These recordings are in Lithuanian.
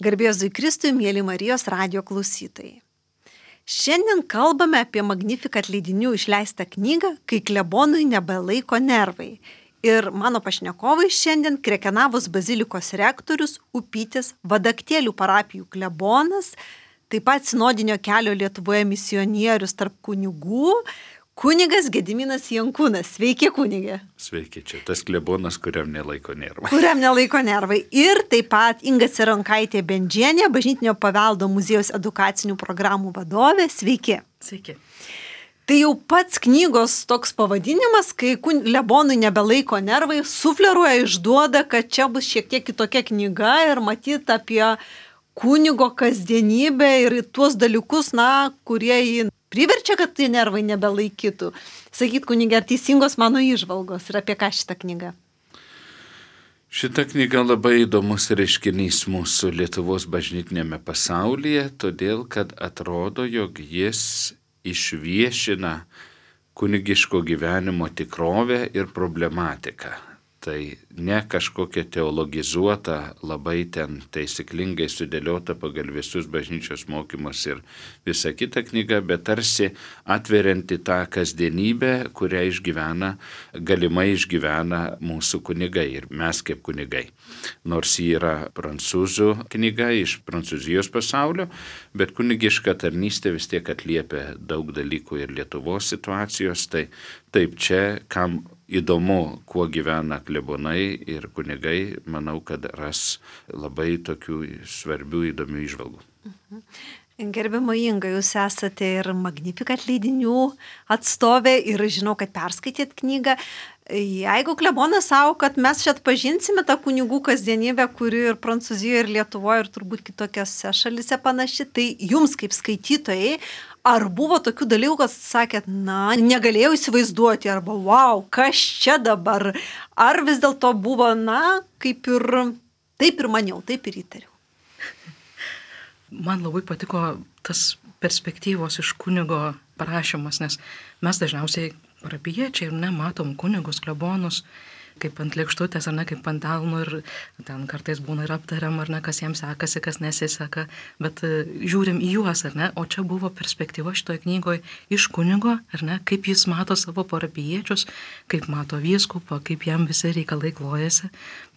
Garbė Jėzui Kristui, mėly Marijos radijo klausytojai. Šiandien kalbame apie Magnificat leidinių išleistą knygą, kai klebonui nebelaiko nervai. Ir mano pašnekovai šiandien Krekenavos bazilikos rektorius Upytės Vadaktėlių parapijų klebonas, taip pat sinodinio kelio Lietuvoje misionierius tarp kunigų, kunigas Gediminas Jankūnas. Sveiki, kunigė. Sveiki, čia tas klebonas, kuriam nelaiko nervai. Kuriam nelaiko nervai. Ir taip pat Inga Cironkaitė Bendžienė, Bažnytinio paveldo muziejaus edukacinių programų vadovė. Sveiki. Sveiki. Tai jau pats knygos toks pavadinimas, kai klebonui nebelaiko nervai, sufleruoja, išduoda, kad čia bus šiek tiek kitokia knyga ir matyt apie kunigo kasdienybę ir tuos dalykus, kurie jį priverčia, kad tie nervai nebelaikytų. Sakyt, kunigė, ar teisingos mano įžvalgos ir apie ką šitą knygą? Šita knyga labai įdomus reiškinys mūsų Lietuvos bažnytinėme pasaulyje, todėl kad atrodo, jog jis išviešina kunigiško gyvenimo tikrovę ir problematiką. Tai ne kažkokia teologizuota, labai ten taisyklingai sudėliota pagal visus bažnyčios mokymus ir visa kita knyga, bet tarsi atverianti tą kasdienybę, kurią galimai išgyvena mūsų kunigai ir mes kaip kunigai. Nors ji yra prancūzų knyga iš Prancūzijos pasaulio, bet kunigiška tarnystė vis tiek atliepia daug dalykų ir Lietuvos situacijos, tai taip čia, kam įdomu, kuo gyvena klebonai ir kunigai, manau, kad ras labai tokių svarbių, įdomių įžvalgų. Gerbiama Inga, jūs esate ir Magnificat leidinių atstovė ir žinau, kad perskaitėt knygą. Jeigu klebonas savo, kad mes čia atpažinsime tą kunigų kasdienybę, kuri ir Prancūzijoje, ir Lietuvoje, ir turbūt kitokiose šalise panaši, tai jums kaip skaitytojai, ar buvo tokių dalykų, kad sakėt, negalėjau įsivaizduoti, arba wow, kas čia dabar, ar vis dėlto buvo, kaip ir taip ir maniau, taip ir įtariau. Man labai patiko tas perspektyvos iš kunigo parašymas, nes mes dažniausiai parapijiečiai ir nematom kunigus, klebonus, kaip ant lėkštutės, ar ne, kaip ant delnų ir ten kartais būna ir aptariam, ar ne, kas jiems sekasi, kas nesiseka, bet žiūrim į juos, ar ne, o čia buvo perspektyva šitoje knygoje iš kunigo, ar ne, kaip jis mato savo parapijiečius, kaip mato vyskupą, kaip jam visi reikalai klojasi.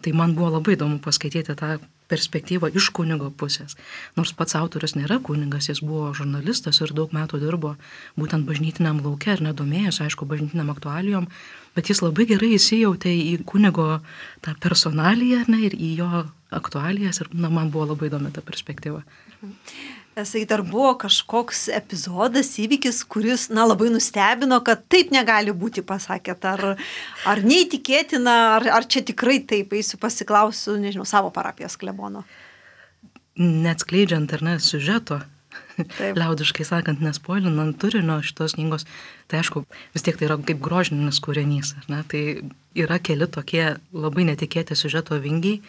Tai man buvo labai įdomu paskaityti tą perspektyvą iš kunigo pusės. Nors pats autorius nėra kunigas, jis buvo žurnalistas ir daug metų dirbo būtent bažnytiniam lauke ir nedomėjosi, aišku, bažnytiniam aktualijom, bet jis labai gerai įsijautė į kunigo tą personaliją, ne, ir į jo aktualijas ir man buvo labai įdomi ta perspektyva. Ar buvo kažkoks epizodas, įvykis, kuris labai nustebino, kad taip negali būti, pasakėt, ar neįtikėtina, ar čia tikrai taip, eisiu pasiklausiu, nežinau, savo parapijos klebono. Neatskleidžiant, ar ne, siužeto, liaudiškai sakant, nespoilinant turinio šitos knygos, tai aišku, vis tiek tai yra kaip grožinis kūrinys, ar ne, tai yra keli tokie labai netikėti siužeto vingiai,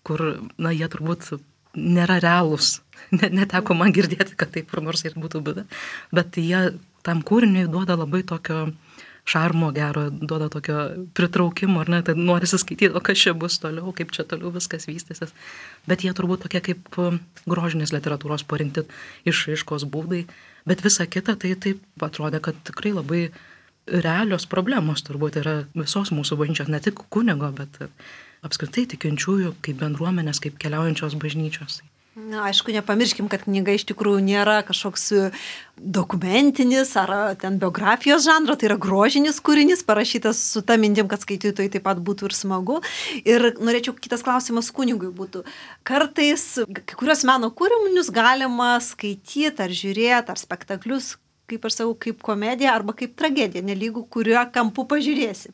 kur, jie turbūt nėra realūs. Neteko man girdėti, kad taip kur nors ir būtų buvę, bet jie tam kūriniui duoda labai tokio šarmo gero, duoda tokio pritraukimo, ar ne, tai norisi skaityti, o kas čia bus toliau, kaip čia toliau viskas vystysis, bet jie turbūt tokie kaip grožinės literatūros parinkti išraiškos būdai, bet visa kita tai taip atrodė, kad tikrai labai realios problemos turbūt yra visos mūsų bažnyčios, ne tik kunigo, bet apskritai tikinčiųjų, kaip bendruomenės, kaip keliaujančios bažnyčios. Aišku, nepamirškim, kad knyga iš tikrųjų nėra kažkoks dokumentinis ar ten biografijos žanro, tai yra grožinis kūrinys, parašytas su ta mintim, kad skaitytojai taip pat būtų ir smagu. Ir norėčiau, kitas klausimas kunigui būtų. Kartais kai kurios meno kūrinius galima skaityti ar žiūrėti, ar spektaklius, kaip aš sakau, kaip komedija arba kaip tragedija, nelygų, kuriuo kampu pažiūrėsi.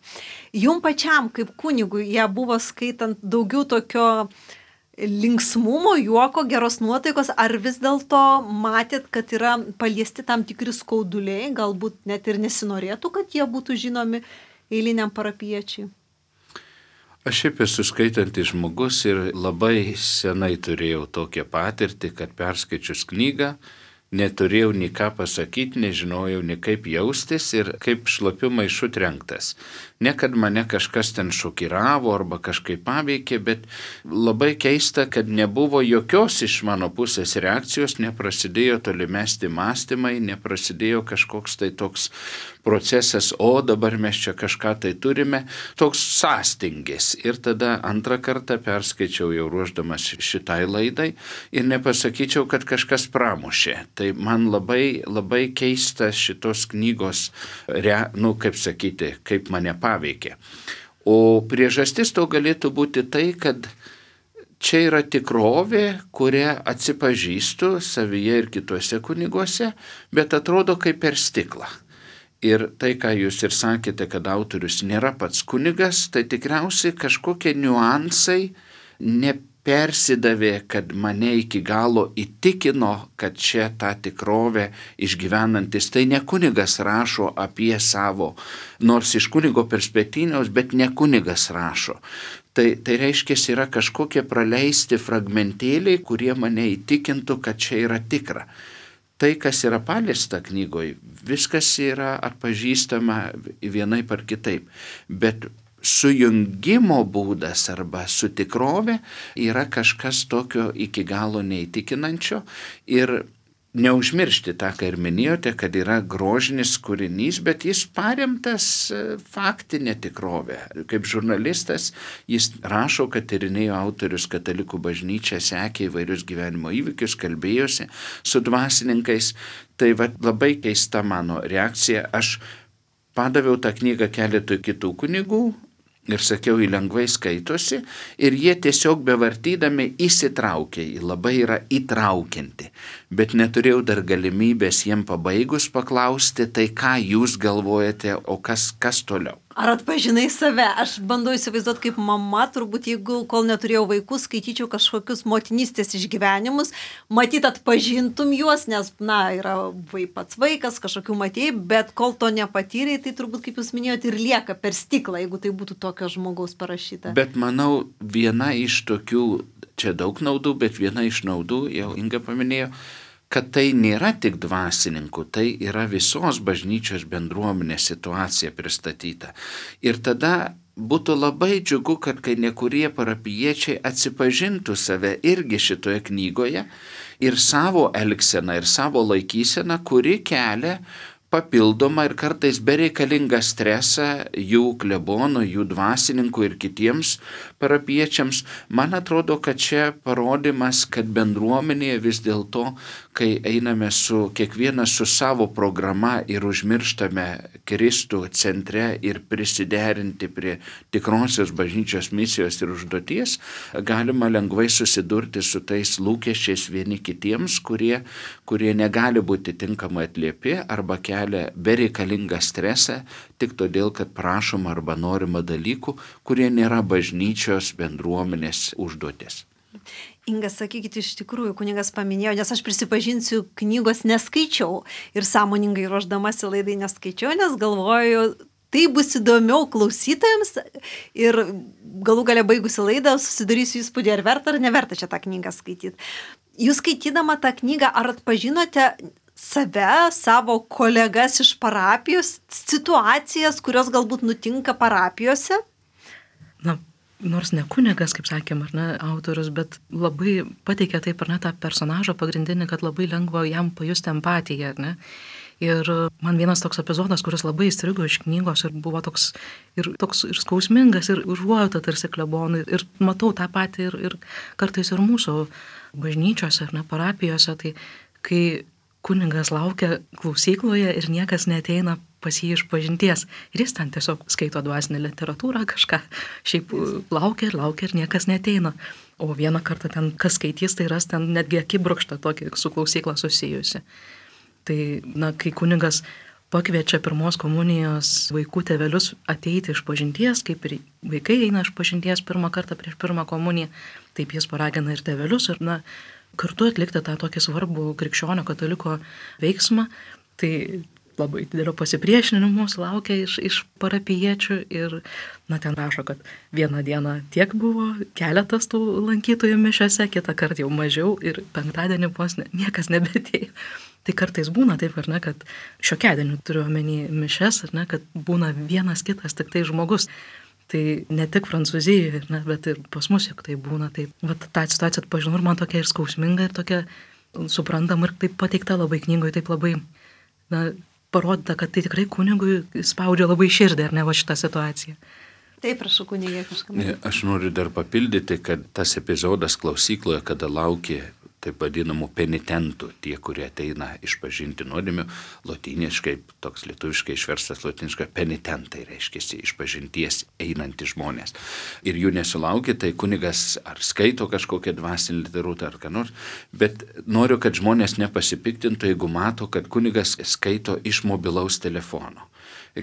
Jum pačiam, kaip kunigui, jie buvo skaitant daugiau tokio linksmumo, juoko, geros nuotaikos, ar vis dėlto matėt, kad yra paliesti tam tikri skauduliai, galbūt net ir nesinorėtų, kad jie būtų žinomi eiliniam parapiečiui? Aš šiaip esu skaitantis žmogus ir labai senai turėjau tokią patirtį, kad perskaičius knygą, neturėjau nei ką pasakyti, nežinojau nei kaip jaustis ir kaip šlapiu maišu trenktas. Ne kad mane kažkas ten šokiravo arba kažkaip paveikė, bet labai keista, kad nebuvo jokios iš mano pusės reakcijos, neprasidėjo tolimesti mąstymai, neprasidėjo kažkoks tai toks procesas, o dabar mes čia kažką tai turime, toks sąstingis. Ir tada antrą kartą perskaičiau jau ruošdamas šitai laidai ir nepasakyčiau, kad kažkas pramušė. Tai man labai keista šitos knygos, kaip mane paveikė. O priežastis to galėtų būti tai, kad čia yra tikrovė, kurią atsipažįstu savyje ir kituose kuniguose, bet atrodo kaip per stiklą. Ir tai, ką jūs ir sakėte, kad autorius nėra pats kunigas, tai tikriausiai kažkokie niuansai nepersidavė, kad mane iki galo įtikino, kad čia tą tikrovę išgyvenantis. Tai ne kunigas rašo apie savo, nors iš kunigo perspektyvos, bet ne kunigas rašo. Tai reiškia, yra kažkokie praleisti fragmentėliai, kurie mane įtikintų, kad čia yra tikra. Tai, kas yra paliesta knygoje, viskas yra atpažįstama vienaip ar kitaip, bet sujungimo būdas arba su tikrove yra kažkas tokio iki galo neįtikinančio ir neužmiršti tą, ką ir minėjote, kad yra grožinis kūrinys, bet jis paremtas faktinė tikrovė. Kaip žurnalistas jis rašo, kad tyrinėjo autorius katalikų bažnyčią, sekė įvairius gyvenimo įvykius, kalbėjosi su dvasininkais. Tai labai keista mano reakcija. Aš padaviau tą knygą keletui kitų kunigų ir sakiau, jį lengvai skaitosi ir jie tiesiog bevartydami įsitraukė, labai yra įtraukianti. Bet neturėjau dar galimybės jiem pabaigus paklausti, tai ką jūs galvojate, o kas toliau. Ar atpažinai save? Aš bandau įsivaizduoti kaip mama, turbūt jeigu kol neturėjau vaikų, skaityčiau kažkokius motinystės išgyvenimus, matyt atpažintum juos, nes, yra pats vaikas, kažkokių matėjai, bet kol to nepatyrei, tai turbūt, kaip jūs minėjote, ir lieka per stiklą, jeigu tai būtų tokio žmogaus parašyta. Bet manau, viena iš tokių, čia daug naudų, bet viena iš naudų, jau Inga paminėjo, kad tai nėra tik dvasininkų, tai yra visos bažnyčios bendruomenės situacija pristatyta. Ir tada būtų labai džiugu, kad kai nekurie parapijiečiai atsipažintų save irgi šitoje knygoje ir savo elgseną, ir savo laikyseną, kuri kelia papildomą ir kartais bereikalingą stresą jų klebonų, jų dvasininkų ir kitiems parapiečiams. Man atrodo, kad čia parodymas, kad bendruomenėje vis dėlto, kai einame kiekvienas su savo programa ir užmirštame Kristų centre ir prisiderinti prie tikrosios bažnyčios misijos ir užduoties, galima lengvai susidurti su tais lūkesčiais vieni kitiems, kurie negali būti tinkamai atliepi arba kelia bereikalingą stresą tik todėl, kad prašoma arba norima dalykų, kurie nėra bažnyčios bendruomenės užduotis. Inga, sakykite, iš tikrųjų, kunigas paminėjo, nes aš prisipažinsiu, knygos neskaičiau ir sąmoningai ruošdamasi laidai neskaičiau, nes galvoju, tai bus įdomiau klausytojams ir galų gale baigusi laidą susidarysiu įspūdį, ar verta ar neverta čia tą knygą skaityti. Jūs skaitydama tą knygą, ar atpažinote save, savo kolegas iš parapijos, situacijas, kurios galbūt nutinka parapijose? Nors ne kunigas, kaip sakėm, autorius, bet labai pateikė taip, tą personažą pagrindinį, kad labai lengva jam pajusti empatiją, Ir man vienas toks epizodas, kuris labai įstrigo iš knygos ir buvo toks ir skausmingas, ir užuojauta tarsi klebonui. Ir matau tą patį ir kartais ir mūsų bažnyčiose, parapijose, tai kai kunigas laukia klausykloje ir niekas neateina pas jį iš pažinties. Ir jis ten tiesiog skaito dvasinę literatūrą, kažką šiaip laukia ir niekas neateina. O vieną kartą ten, kas skaitys, tai ras ten netgi akibrokštą tokį su klausykla susijusi. Tai, kai kunigas pakviečia pirmos komunijos vaikų tėvelius ateiti iš pažinties, kaip ir vaikai eina iš pažinties pirmą kartą prieš pirmą komuniją, taip jis paragina ir tėvelius ir, kartu atlikti tą tokį svarbų krikščionio kataliko veiksmą. Tai labai didelio pasipriešinimo sulaukia iš parapijiečių ir, ten rašo, kad vieną dieną tiek buvo keletas tų lankytojų mišiose, kitą kartą jau mažiau ir penktadienį vos niekas nebeatėjo. Tai kartais būna taip, ar ne, kad šiokiadienį turiu omeny mišes, ar ne, kad būna vienas kitas tik tai žmogus. Tai ne tik Prancūzijoje, ne, bet ir pas mus juk tai būna. Tai vat, tą situaciją atpažinau ir man tokia ir skausminga, ir tokia suprantama, ir taip pateikta labai knygoje, taip labai parodyta, kad tai tikrai kunigui spaudžia labai širdį, ar ne, va šitą situaciją. Taip, prašau, kunigė kažkam. Aš noriu dar papildyti, kad tas epizodas klausykloje, kada laukė taip vadinamų penitentų, tie, kurie ateina išpažinti nuodėmių, lotyniškai, toks lietuviškai išverstas lotyniškai, penitentai reiškia išpažinties einantys žmonės. Ir jų nesulaukė, tai kunigas ar skaito kažkokią dvasinę literatūrą ar ką nors, bet noriu, kad žmonės nepasipiktintų, jeigu mato, kad kunigas skaito iš mobilaus telefono.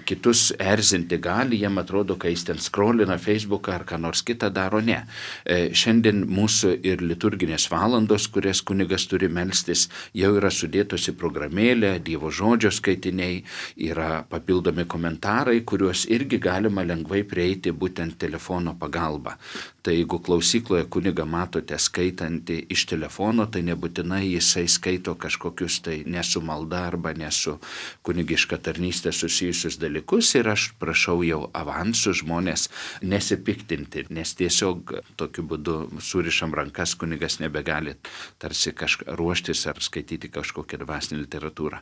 Kitus erzinti gali, jiem atrodo, kai jis ten scrollina Facebooką ar ką nors kitą daro, ne. Šiandien mūsų ir liturginės valandos, kurias kunigas turi melstis, jau yra sudėtos į programėlę, Dievo žodžio skaitiniai, yra papildomi komentarai, kuriuos irgi galima lengvai prieiti būtent telefono pagalba. Tai jeigu klausykloje kunigą matote skaitantį iš telefono, tai nebūtinai jisai skaito kažkokius tai nesu malda arba nesu kunigiška tarnystė susijusius dalykus, ir aš prašau jau avansų žmonės nesipiktinti, nes tiesiog tokiu būdu surišam rankas, kunigas nebegali tarsi ruoštis ar skaityti kažkokią dvasinę literatūrą.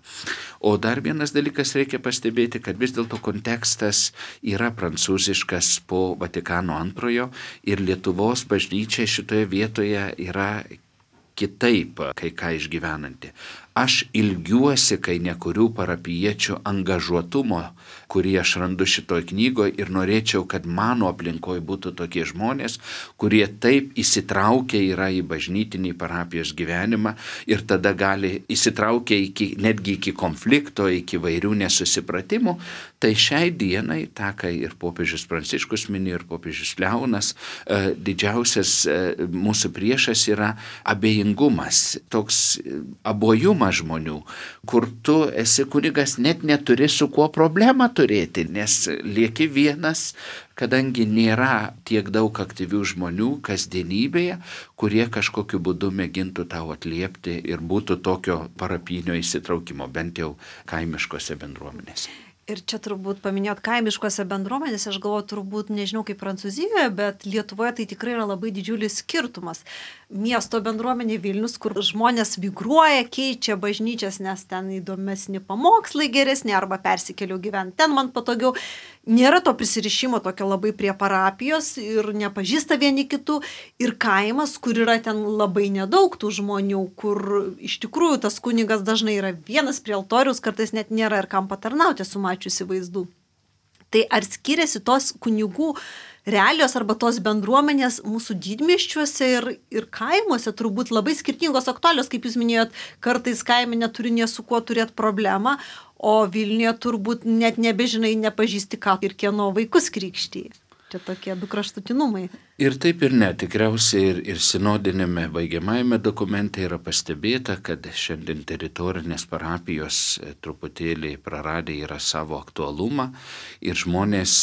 O dar vienas dalykas reikia pastebėti, kad vis dėlto kontekstas yra prancūziškas po Vatikano antrojo, ir Lietuvos bažnyčia šitoje vietoje yra kitaip kai ką išgyvenanti. Aš ilgiuosi, kai nekurių parapijiečių angažuotumo, kurį aš randu šitoj knygoje, ir norėčiau, kad mano aplinkoje būtų tokie žmonės, kurie taip įsitraukia yra į bažnytinį parapijos gyvenimą ir tada gali įsitraukia netgi iki konflikto, iki vairių nesusipratimų. Tai šiai dienai, tą, kai ir popiežius Pranciškus minėjo, ir popiežius Leonas, didžiausias mūsų priešas yra abejingumas, toks abojumas žmonių, kur tu esi kunigas, net neturi su kuo problemą turėti, nes lieki vienas, kadangi nėra tiek daug aktyvių žmonių kasdienybėje, kurie kažkokiu būdu mėgintų tau atliepti ir būtų tokio parapinio įsitraukimo, bent jau kaimiškose bendruomenėse. Ir čia turbūt paminėjot kaimiškose bendruomenėse, aš galvoju, turbūt nežinau kaip Prancūzijoje, bet Lietuvoje tai tikrai yra labai didžiulis skirtumas. Miesto bendruomenė Vilnius, kur žmonės migruoja, keičia bažnyčias, nes ten įdomesni pamokslai geresni, arba persikeliau gyventi ten, man patogiau. Nėra to prisirišimo tokio labai prie parapijos ir nepažįsta vieni kitų. Ir kaimas, kur yra ten labai nedaug tų žmonių, kur iš tikrųjų tas kunigas dažnai yra vienas prie altoriaus, kartais net nėra ir kam patarnauti, sumačiusi vaizdų. Tai ar skiriasi tos kunigų realijos arba tos bendruomenės mūsų didmiesčiuose ir kaimuose turbūt labai skirtingos aktualios, kaip jūs minėjot, kartais kaime neturi nie su kuo turėti problemą, o Vilniuje turbūt net nebežinai, nepažįsti ką ir kieno vaikus krikštyje. Čia tokie du kraštutinumai. Ir taip ir ne, tikriausiai ir sinodinėme baigiamajame dokumente yra pastebėta, kad šiandien teritorinės parapijos truputėlį praradę yra savo aktualumą ir žmonės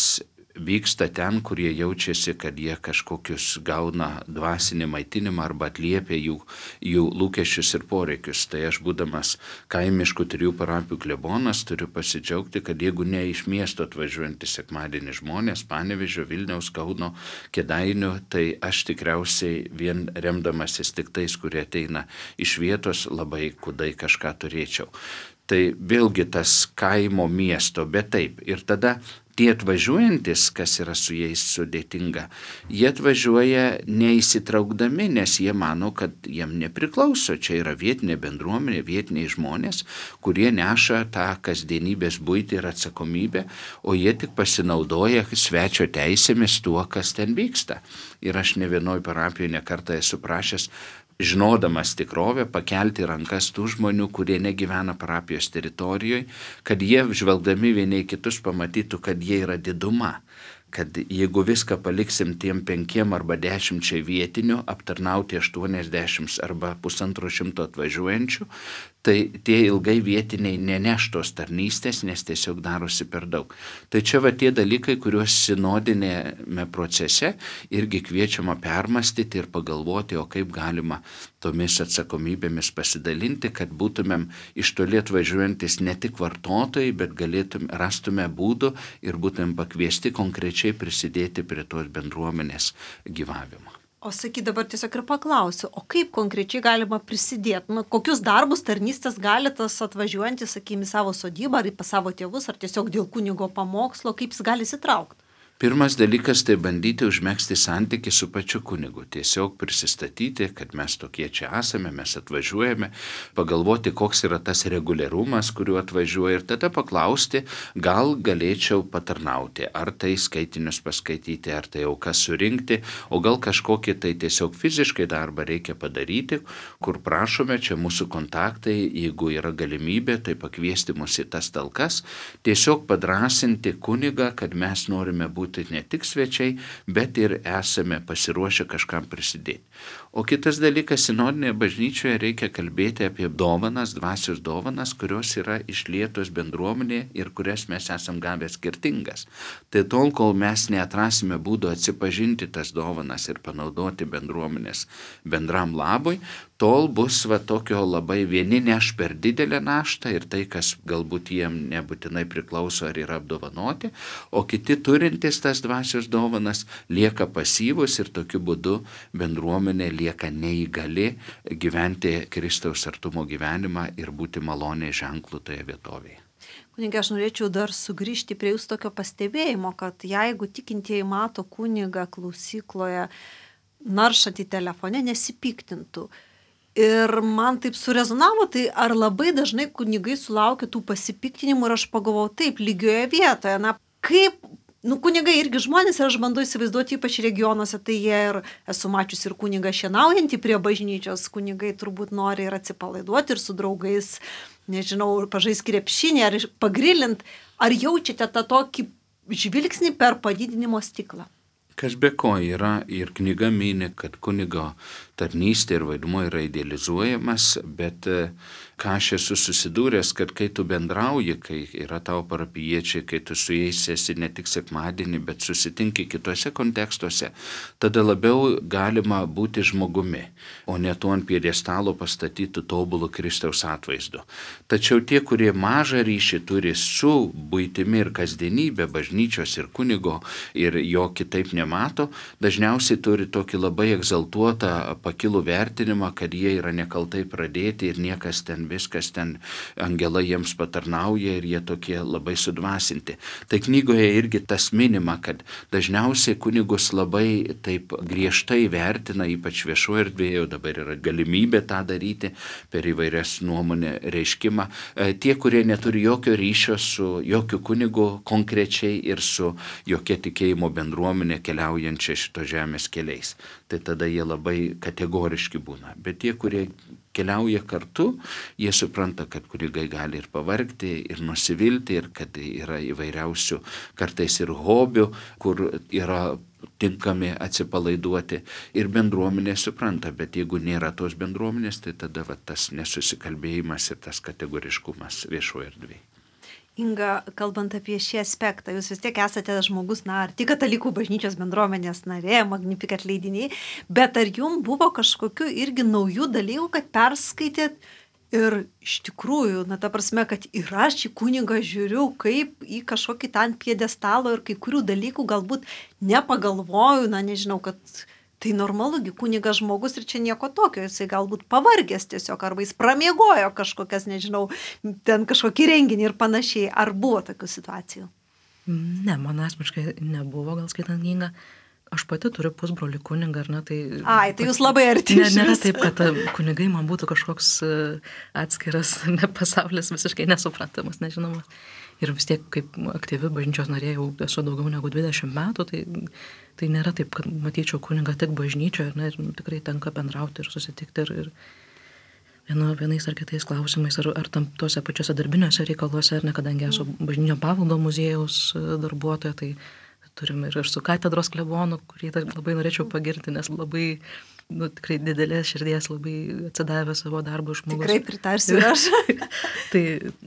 vyksta ten, kurie jaučiasi, kad jie kažkokius gauna dvasinį maitinimą arba atliepia jų lūkesčius ir poreikius. Tai aš, būdamas kaimiškų 3 parapijų klebonas, turiu pasidžiaugti, kad jeigu ne iš miesto atvažiuojantys sekmadienį žmonės, Panevėžio, Vilniaus, Kauno, Kėdainių, tai aš tikriausiai vien remdamasis tik tais, kurie ateina iš vietos, labai kudai kažką turėčiau. Tai vėlgi tas kaimo miesto, bet taip. Ir tada tie atvažiuojantis, kas yra su jais sudėtinga, jie atvažiuoja neįsitraukdami, nes jie mano, kad jiem nepriklauso. Čia yra vietinė bendruomenė, vietiniai žmonės, kurie neša tą kasdienybės buitį ir atsakomybę, o jie tik pasinaudoja svečio teisėmis tuo, kas ten vyksta. Ir aš ne vienoj parapijoje nekartą esu prašęs, žinodamas tikrovę, pakelti rankas tų žmonių, kurie negyvena parapijos teritorijoje, kad jie žvelgdami vieni kitus pamatytų, kad jie yra diduma, kad jeigu viską paliksim tiem 5 arba 10 vietinių, aptarnauti 80 arba 150 atvažiuojančių, tai tie ilgai vietiniai neneš tos tarnystės, nes tiesiog darosi per daug. Tai čia va tie dalykai, kuriuos sinodinėme procese irgi kviečiama permastyti ir pagalvoti, o kaip galima tomis atsakomybėmis pasidalinti, kad būtumėm iš toli atvažiuojantis ne tik vartotojai, bet rastume būdų ir būtumėm pakviesti konkrečiai prisidėti prie tos bendruomenės gyvavimo. O sakyk, dabar tiesiog ir paklausiu, o kaip konkrečiai galima prisidėti? Kokius darbus, tarnystės gali tas atvažiuojantis, sakykime, savo sodybą, ar pas savo tėvus, ar tiesiog dėl kunigo pamokslo, kaip jis gali įsitraukti? Pirmas dalykas tai bandyti užmegzti santykį su pačiu kunigu. Tiesiog prisistatyti, kad mes tokie čia esame, mes atvažiuojame, pagalvoti, koks yra tas reguliarumas, kuriuo atvažiuoja ir tada paklausti, gal galėčiau patarnauti, ar tai skaitinius paskaityti, ar tai aukas surinkti, o gal kažkokį tai tiesiog fiziškai darbą reikia padaryti, kur prašome, čia mūsų kontaktai, jeigu yra galimybė, tai pakviesti mus į tas talkas, tiesiog padrasinti kunigą, kad mes norime būti ne tik svečiai, bet ir esame pasiruošę kažkam prisidėti. O kitas dalykas, sinodinėje bažnyčioje reikia kalbėti apie dovanas, dvasios dovanas, kurios yra išlietos bendruomenėje ir kurias mes esam gavę skirtingas. Tai tol, kol mes neatrasime būdų atsipažinti tas dovanas ir panaudoti bendruomenės bendram labui, tol bus tokio labai vieni neš per didelę naštą ir tai, kas galbūt jiem nebūtinai priklauso ar yra apdovanoti, o kiti turintys tas dvasios dovanas lieka pasyvus ir tokiu būdu bendruomenė lieka neįgali gyventi Kristaus artumo gyvenimą ir būti maloniai ženklų toje vietovėje. Kunigė, aš norėčiau dar sugrįžti prie jūsų tokio pastebėjimo, kad jeigu tikintieji mato kunigą klausykloje naršantį telefone, nesipiktintų. Ir man taip surezonavo, tai ar labai dažnai kunigai sulaukia tų pasipiktinimų ir aš pagalvojau taip, lygioje vietoje, kaip, kunigai irgi žmonės ir aš bandau įsivaizduoti, ypač regionuose, tai jie ir esu mačiusi ir kunigą šienaujantį prie bažnyčios, kunigai turbūt nori ir atsipalaiduoti ir su draugais, nežinau, pažaisti krepšinį ar pagrillint, ar jaučiate tą tokį žvilgsnį per padidinimo stiklą? Kas be ko yra ir knyga mini, kad kunigo tarnystė ir vaidmuo yra idealizuojamas, bet ką aš esu susidūręs, kad kai tu bendrauji, kai yra tavo parapijiečiai, kai tu su jais esi ne tik sekmadienį, bet susitinki kitose kontekstuose, tada labiau galima būti žmogumi, o ne tuo ant pjedestalo pastatytų tobulų Kristaus atvaizdu. Tačiau tie, kurie mažą ryšį turi su buitimi ir kasdienybė, bažnyčios ir kunigo ir jo kitaip nemato, dažniausiai turi tokį labai egzaltuotą pakilų vertinimą, kad jie yra nekaltai pradėti ir niekas ten, viskas ten, angelai jiems patarnauja ir jie tokie labai sudvasinti. Tai knygoje irgi tas minima, kad dažniausiai kunigus labai taip griežtai vertina, ypač viešoje erdvėje, dabar yra galimybė tą daryti per įvairias nuomonę reiškimą. Tie, kurie neturi jokio ryšio su jokiu kunigu konkrečiai ir su jokia tikėjimo bendruomenė keliaujančia šito žemės keliais. Tai tada jie labai kategoriški būna. Bet tie, kurie keliauja kartu, jie supranta, kad kunigai gali ir pavargti, ir nusivilti, ir kad yra įvairiausių kartais ir hobių, kur yra tinkami atsipalaiduoti. Ir bendruomenė supranta, bet jeigu nėra tos bendruomenės, tai tada tas nesusikalbėjimas ir tas kategoriškumas viešoje erdvėje. Inga, kalbant apie šį aspektą, jūs vis tiek esate žmogus, ar tik katalikų bažnyčios bendruomenės narė, Magnificat leidiniai, bet ar jums buvo kažkokiu irgi naujų dalykų, kad perskaitėt ir iš tikrųjų, ta prasme, kad ir aš į kunigą žiūriu kaip į kažkokį tą ant pjedestalo ir kai kurių dalykų galbūt nepagalvoju, nežinau, kad tai normalugi, kunigas žmogus ir čia nieko tokio, jisai galbūt pavargęs tiesiog, arba jis pramiegojo kažkokias, nežinau, ten kažkokį renginį ir panašiai. Ar buvo tokių situacijų? Ne, man asmeniškai nebuvo, gal skaitant knygą. Aš pati turiu pusbrolį kunigą, tai... Tai jūs labai arti. Nėra taip, kad kunigai man būtų kažkoks atskiras pasaulis visiškai nesuprantamas, nežinomas. Ir vis tiek, kaip aktyvi bažnyčios narė, jau esu daugiau negu 20 metų, tai nėra taip, kad matyčiau kunigą tik bažnyčioje, ir tikrai tenka bendrauti ir susitikti ir vienais ar kitais klausimais, ar tam tuose pačiuose darbiniuose reikaluose, kadangi esu bažnyčio paveldo muziejaus darbuotoja, tai turim ir su katedros klebonu, kurį labai norėčiau pagirti, nes labai, tikrai didelės širdies, labai atsidavė savo darbo žmogus. Tikrai pritarsiu ir aš. Tai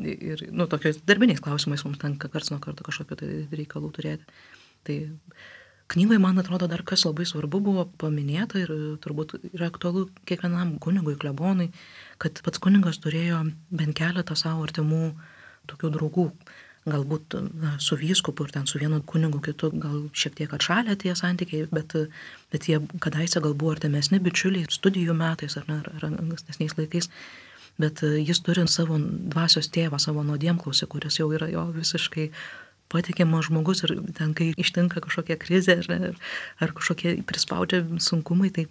ir, tokiais darbiniais klausimais mums tenka karts nuo karto kažkokio tai reikalų turėti. Tai knygoje, man atrodo, dar kas labai svarbu buvo paminėta ir turbūt yra aktualu kiekvienam kunigui, klebonui, kad pats kunigas turėjo bent keletą savo artimų tokių draugų. Galbūt su vyskupu ir ten su vienu kunigu kitu gal šiek tiek atšalę tie santykiai, bet jie kadaise gal buvo artimesni bičiuliai studijų metais ar ankstesniais laikais. Bet jis turi savo dvasios tėvą, savo nuodėmklausį, kuris jau yra jo visiškai patikimas žmogus ir ten, kai ištinka kažkokia krizė ar kažkokie prispaudžia sunkumai, tai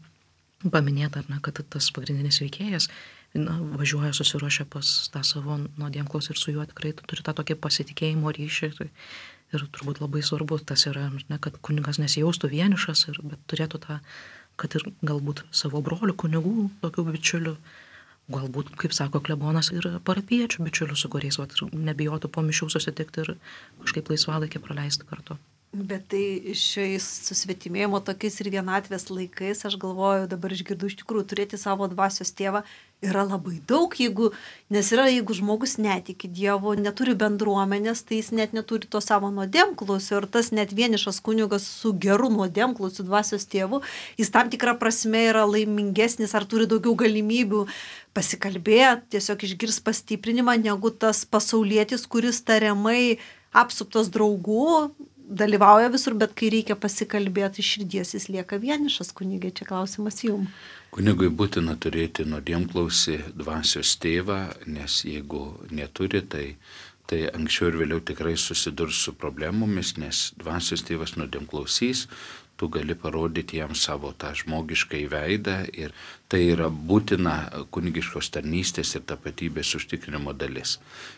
paminėta, kad tas pagrindinis veikėjas važiuoja, susiruošia pas tą savo nuodėmklausį ir su juo tikrai turi tą tokį pasitikėjimo ryšį. Ir turbūt labai svarbu tas yra, kad kunigas nesijaustų vienišas, bet turėtų tą, kad ir galbūt savo brolių kunigų, tokių bičiulių, galbūt, kaip sako klebonas, ir parapiečių bičiulių, su kuriais nebijotų po mišių susitikti ir kažkaip laisvalaikį praleisti kartu. Bet tai šiais susvetimėjimo tokiais ir vienatvės laikais, aš galvoju, dabar išgirdu iš tikrųjų, turėti savo dvasios tėvą yra labai daug, jeigu žmogus netiki Dievu, neturi bendruomenės, tai jis net neturi to savo nuodėmklausio, ir tas net vienišas kunigas su geru nuodėmklausiu dvasios tėvu, jis tam tikrą prasme yra laimingesnis ar turi daugiau galimybių pasikalbėti, tiesiog išgirs pastiprinimą, negu tas pasaulietis, kuris tariamai apsuptas draugų, dalyvauja visur, bet kai reikia pasikalbėti iš širdies, jis lieka vienišas. Kunigai, čia klausimas jums. Kunigui būtina turėti nuodėmklausį dvasios tėvą, nes jeigu neturi, tai anksčiau ir vėliau tikrai susidurs su problemomis, nes dvasios tėvas nuodėmklausys, tu gali parodyti jam savo tą žmogišką veidą ir tai yra būtina kunigiškos tarnystės ir tapatybės užtikrinimo dalis.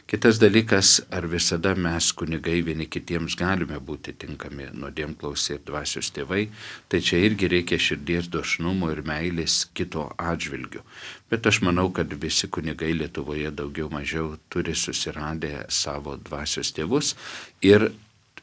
Kitas dalykas, ar visada mes kunigai vieni kitiems galime būti tinkami nuodėmklausiai ir dvasios tėvai, tai čia irgi reikia širdies dosnumo ir meilės kito atžvilgių. Bet aš manau, kad visi kunigai Lietuvoje daugiau mažiau turi susiradę savo dvasios tėvus ir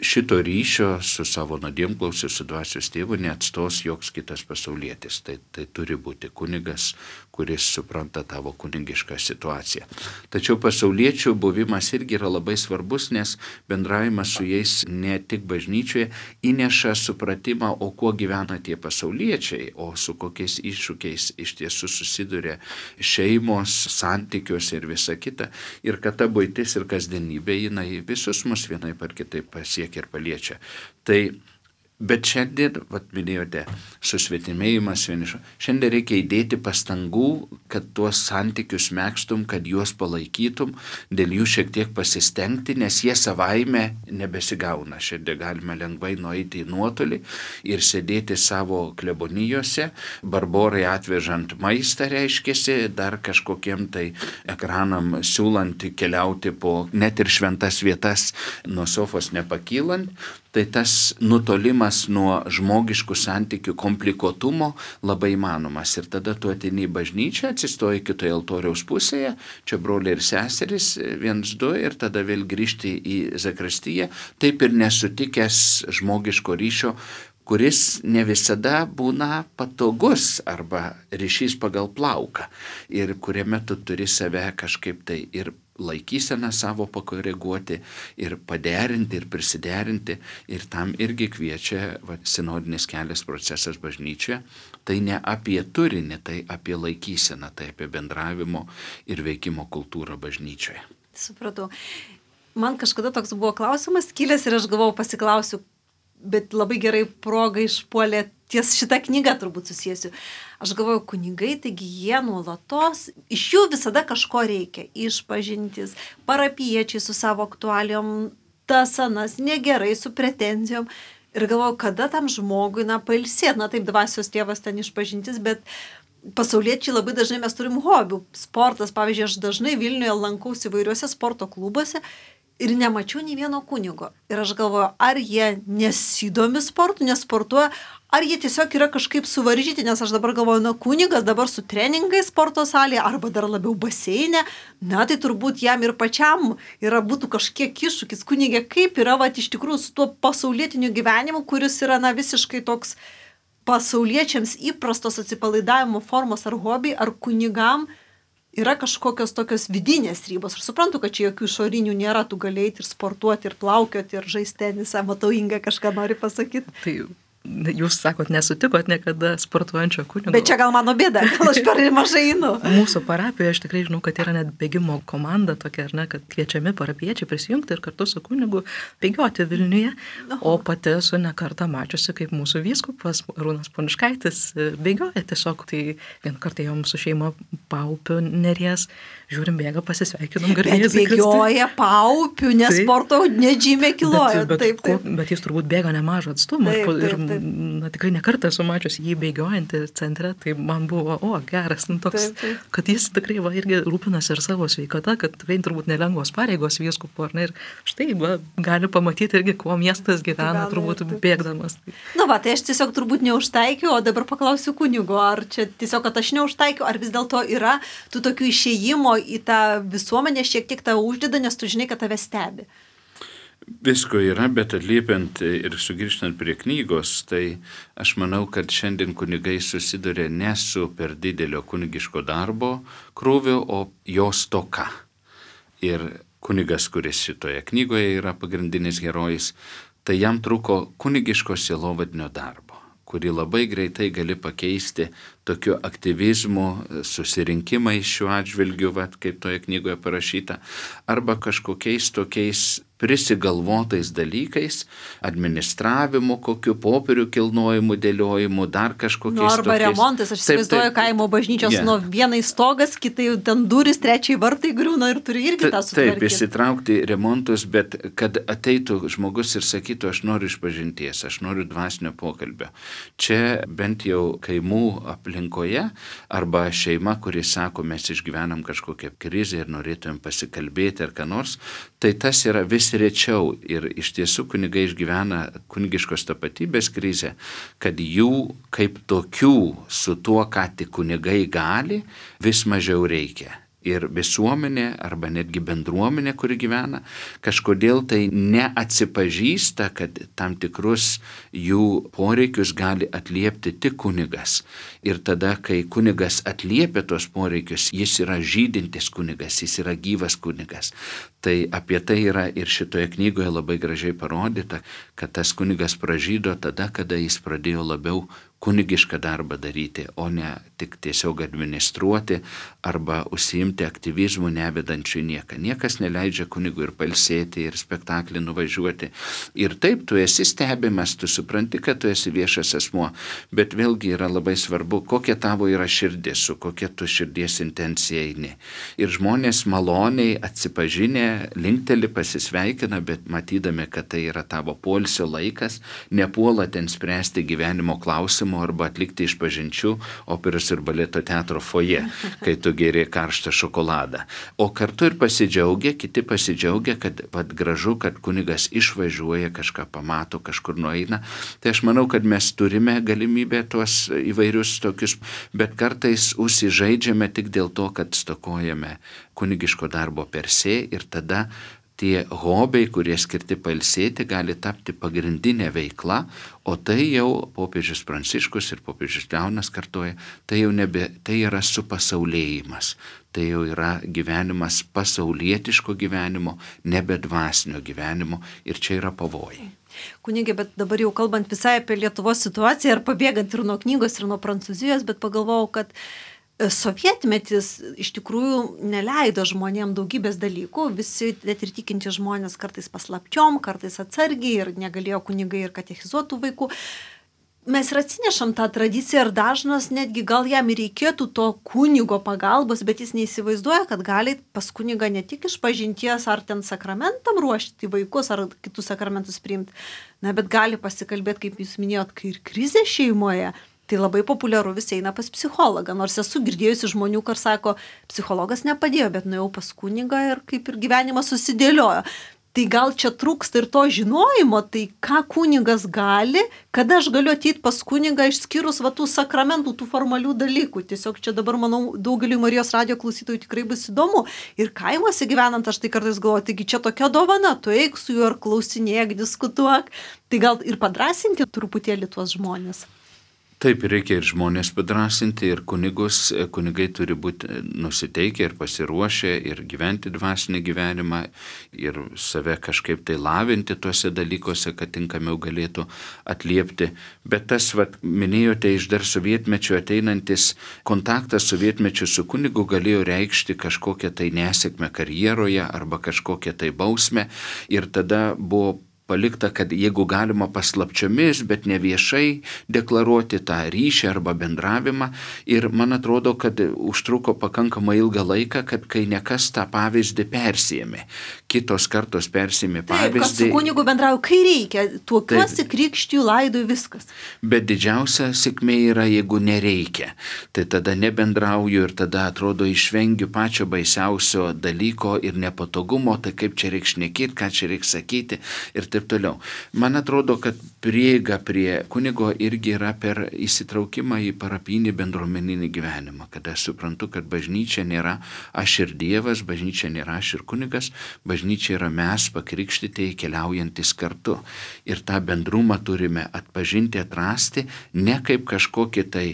šito ryšio su savo nuodėmklausiu, su dvasios tėvu neatstos joks kitas pasaulietis. Tai turi būti kunigas, kuris supranta tavo kunigišką situaciją. Tačiau pasauliečių buvimas irgi yra labai svarbus, nes bendravimas su jais ne tik bažnyčioje įneša supratimą, o kuo gyvena tie pasauliečiai, o su kokiais iššūkiais iš tiesų susiduria šeimos, santykiuose ir visa kita. Ir kad ta buitis ir kasdienybė, jinai visus mus vienaip ar kitaip pasiekia ir paliečia. Bet šiandien, minėjote, susvetimėjimas vienišo, šiandien reikia įdėti pastangų, kad tuos santykius megztum, kad juos palaikytum, dėl jų šiek tiek pasistengti, nes jie savaime nebesigauna. Šiandien galime lengvai nueiti į nuotolį ir sėdėti savo klebonijose, barborai atvežant maistą reiškiasi, dar kažkokiem tai ekranam siūlant keliauti po net ir šventas vietas nuo sofos nepakylant. Tai tas nutolimas nuo žmogiškų santykių komplikuotumo labai įmanomas. Ir tada tu ateini į bažnyčią, atsistoji kitoje altoriaus pusėje, čia broliai ir seserys, 1-2, ir tada vėl grįžti į zakristiją, taip ir nesutikęs žmogiško ryšio, kuris ne visada būna patogus arba ryšys pagal plauką ir kuriame tu turi save kažkaip tai ir laikyseną savo pakoreguoti ir paderinti ir prisiderinti ir tam irgi kviečia sinodinis kelias procesas bažnyčioje. Tai ne apie turinį, tai apie laikyseną, tai apie bendravimo ir veikimo kultūrą bažnyčioje. Supratau. Man kažkada toks buvo klausimas kilęs ir aš galvojau pasiklausiu, bet labai gerai proga išpuolė ties šitą knygą turbūt susijęsiu. Aš galvoju, kunigai, taigi jie nuolatos, iš jų visada kažko reikia. Išpažintis, parapiečiai su savo aktualijom, tas anas, negerai, su pretenzijom. Ir galvoju, kada tam žmogui, pailsėt, taip dvasios tėvas ten išpažintis, bet pasauliečiai labai dažnai mes turim hobių. Sportas, pavyzdžiui, aš dažnai Vilniuje lankausi įvairiuose sporto klubuose. ir nemačiau nei vieno kunigo. Ir aš galvoju, ar jie nesidomi sportu, nesportuoja, ar jie tiesiog yra kažkaip suvaržyti, nes aš dabar galvoju, kunigas dabar su treningais sporto salėje arba dar labiau baseinė, tai turbūt jam ir pačiam būtų kažkiek iššūkis. Kunigė, kaip yra iš tikrųjų su tuo pasaulietiniu gyvenimu, kuris yra visiškai toks pasauliečiams įprastos atsipalaidavimo formos ar hobiai, ar kunigam yra kažkokios tokios vidinės ribos. Aš suprantu, kad čia jokių išorinių nėra, tu galėjai ir sportuoti, ir plaukioti, ir žaisti tenisą, matau, Inga kažką nori pasakyti. Tai jūs sakot, nesutikot niekada sportuojančio kunigo. Bet čia gal mano bėda, gal aš per mažai einu. Mūsų parapijoje aš tikrai žinau, kad yra net bėgimo komanda tokia, ar ne, kad kviečiami parapiečiai prisijungti ir kartu su kunigu bėgioti Vilniuje. O pati esu ne kartą mačiusi, kaip mūsų vyskupas Arūnas Poniškaitis bėgioja tiesiog. Tai vieną kartą jau mūsų šeima Paupių Neries, žiūrim, bėga, pasisveikinom garbės. Bet bėgioja Paupių, nesporto, nedžymė kilojo. Bet jis turbūt bėga nemažą atstumą. Tikrai nekartą esu mačiusi jį bėgiojantį centre, tai man buvo, geras, toks, kad jis tikrai irgi rūpinasi ir savo sveikata, kad tikrai turbūt nelengvos pareigos vyskupo, ir štai gali pamatyti irgi, kuo miestas gyvena, turbūt bėgdamas. Tai aš tiesiog turbūt neužtaikiu, o dabar paklausiu kunigo, ar čia tiesiog, kad aš neužtaikiu, ar vis dėlto yra tų tokių išėjimo į tą visuomenę šiek tiek tave uždeda, nes tu žinai, kad tave stebi. Visko yra, bet atliepiant ir sugrįžtant prie knygos, tai aš manau, kad šiandien kunigai susiduria ne su per didelio kunigiško darbo krūviu, o jo stoka. Ir kunigas, kuris šitoje knygoje yra pagrindinis herojus, tai jam truko kunigiško sielovadinio darbo, kurį labai greitai gali pakeisti tokiu aktyvizmu, susirinkimais šiuo atžvilgiu, kaip toje knygoje parašyta, arba kažkokiais tokiais prisigalvotais dalykais, administravimu, kokiu popierių kilnojimu, dėliojimu, dar kažkokiais arba tokiais. Remontas, aš įsivaizduoju kaimo bažnyčios, vienai stogas, kitai ten durys, trečiai vartai griūna ir turi irgi tą sutvarkyti. Taip, įsitraukti remontus, bet kad ateitų žmogus ir sakytų, aš noriu išpažinties, aš noriu dvasinio pokalbio. Čia bent jau kaimų aplinkoje, arba šeima, kuris sako, mes išgyvenam kažkokią krizę ir norėtumėm pasikalbėti ar ką nors, tai tas yra vis rečiau ir iš tiesų kunigai išgyvena kunigiškos tapatybės krizę, kad jų kaip tokių su tuo, ką tik kunigai gali, vis mažiau reikia. Ir visuomenė arba netgi bendruomenė, kuri gyvena, kažkodėl tai neatsipažįsta, kad tam tikrus jų poreikius gali atliepti tik kunigas. Ir tada, kai kunigas atliepia tos poreikius, jis yra žydintis kunigas, jis yra gyvas kunigas. Tai apie tai yra ir šitoje knygoje labai gražiai parodyta, kad tas kunigas pražydo tada, kada jis pradėjo labiau kunigišką darbą daryti, o ne tik tiesiog administruoti arba užsiimti aktyvizmu nevedančiu nieką. Niekas neleidžia kunigui ir pailsėti, ir spektaklį nuvažiuoti. Ir taip, tu esi stebimas, tu supranti, kad tu esi viešas asmuo, bet vėlgi yra labai svarbu, kokia tavo yra širdis, su kokia tu širdies intencija eini. Ir žmonės maloniai atsipažinę, linkteli, pasisveikina, bet matydami, kad tai yra tavo poilsio laikas, nepuola ten spręsti gyvenimo klausimų arba atlikti išpažinčių operos ir baleto teatro foje, kai tu geri karštą šokoladą. O kartu ir pasidžiaugia, kiti pasidžiaugia, kad gražu, kad kunigas išvažiuoja, kažką pamato, kažkur nueina. Tai aš manau, kad mes turime galimybę tuos įvairius tokius, bet kartais užsižaidžiame tik dėl to, kad stokojame kunigiško darbo per se ir tada tie hobiai, kurie skirti pailsėti, gali tapti pagrindinė veikla, o tai jau popiežius Pranciškus ir popiežius Leonas kartoja, tai yra supasaulėjimas, tai jau yra gyvenimas pasaulietiško gyvenimo, nebe dvasinio gyvenimo ir čia yra pavojai. Kunigė, bet dabar jau kalbant visai apie Lietuvos situaciją ir pabėgant ir nuo knygos, ir nuo Prancūzijos, bet pagalvojau, kad sovietmetis iš tikrųjų neleido žmonėm daugybės dalykų, visi net ir tikinti žmonės kartais paslapčiom, kartais atsargiai ir negalėjo kunigai ir katechizuotų vaikų. Mes ir atsinešam tą tradiciją ir dažnas netgi gal jam ir reikėtų to kunigo pagalbos, bet jis neįsivaizduoja, kad gali pas kunigą ne tik išpažinties ar ten sakramentam ruošti vaikus ar kitus sakramentus priimti, bet gali pasikalbėti, kaip jūs minėjot, kai ir krizė šeimoje. Tai labai populiaru visi eina pas psichologą, nors esu girdėjusi žmonių, kur sako, psichologas nepadėjo, bet nuėjau pas kunigą ir kaip ir gyvenimas susidėliojo. Tai gal čia trūksta ir to žinojimo, tai ką kunigas gali, kada aš galiu ateiti pas kunigą išskyrus tų sakramentų, tų formalių dalykų. Tiesiog čia dabar, manau, daugeliu Marijos radijo klausytojų tikrai bus įdomu. Ir kaimuose gyvenant, aš tai kartais galvoju, taigi čia tokia dovana, tu eik su juo ir klausinėk, diskutuok. Tai gal ir padrasinti truputėlį tuos žmonės. Taip, reikia ir žmonės padrasinti, ir kunigai turi būti nusiteikę ir pasiruošę ir gyventi dvasinį gyvenimą ir save kažkaip tai lavinti tuose dalykuose, kad tinkamiau galėtų atliepti. Bet tas, minėjote, iš dar sovietmečio ateinantis kontaktas sovietmečio su kunigu galėjo reikšti kažkokią tai nesėkmę karjeroje arba kažkokią tai bausmę ir tada buvo palikta, kad jeigu galima paslapčiomis, bet ne viešai deklaruoti tą ryšį arba bendravimą. Ir man atrodo, kad užtruko pakankamai ilgą laiką, kad kai nekas tą pavyzdį persėmė. Kitos kartos persėmė pavyzdį. Taip, kas su kunigu bendrauja, kai reikia. Tuokiuosi, krikštiju, laidoju, viskas. Bet didžiausia sėkmė yra, jeigu nereikia. Tai tada nebendrauju ir tada atrodo išvengiu pačio baisiausio dalyko ir nepatogumo, tai kaip čia reikia šnekėti, ką čia reikia sakyti ir taip toliau. Man atrodo, kad prieiga prie kunigo irgi yra per įsitraukimą į parapinį bendruomeninį gyvenimą, kada aš suprantu, kad bažnyčia nėra aš ir Dievas, bažnyčia nėra aš ir kunigas, bažnyčia yra mes pakrikštyti keliaujantis kartu. Ir tą bendrumą turime atpažinti, atrasti, ne kaip kažkokį tai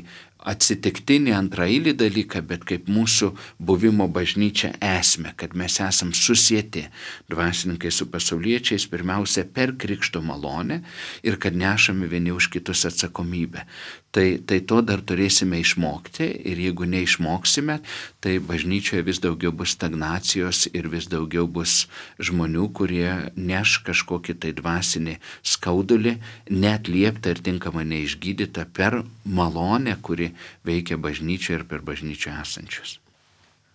atsitiktinį antraeilį dalyką, bet kaip mūsų buvimo bažnyčia esmę, kad mes esam susieti dvasininkai su pasauliečiais pirmiausia per krikšto malonę ir kad nešame vieni už kitus atsakomybę. Tai to dar turėsime išmokti ir jeigu neišmoksime, tai bažnyčioje vis daugiau bus stagnacijos ir vis daugiau bus žmonių, kurie neš kažkokį tai dvasinį skaudulį, neatlieptą ir tinkamai neišgydytą per malonę, kuri veikia bažnyčioje ir per bažnyčią esančius.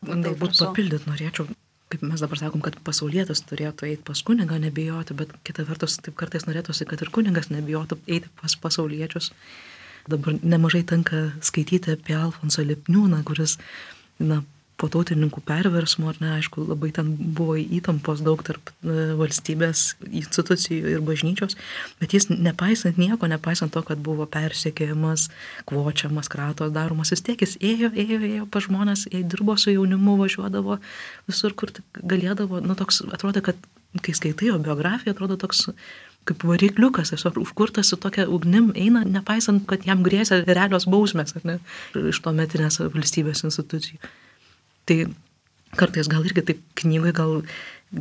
Galbūt papildyt norėčiau, kaip mes dabar sakom, kad pasaulietis turėtų eiti pas kunigą, nebijoti, bet kita vertus taip kartais norėtųsi, kad ir kunigas nebijotų eiti pas pasauliečius. Dabar nemažai tenka skaityti apie Alfonsą Lipniūną, kuris po tautininkų perversmo, aišku, labai ten buvo įtampos daug tarp valstybės institucijų ir bažnyčios, bet jis nepaisant nieko, nepaisant to, kad buvo persekiojamas, kvočiamas, kratos daromas, vis tiek jis ėjo pas žmonės, dirbo su jaunimu, važiuodavo visur, kur galėdavo, toks atrodo, kad kai skaitai jo biografiją, atrodo toks kaip varikliukas, tiesiog užkurtas su tokia ugnim eina, nepaisant, kad jam grėsia realios bausmės, ar ne, iš to metinės valstybės institucijų. Tai kartais gal irgi taip knygai gal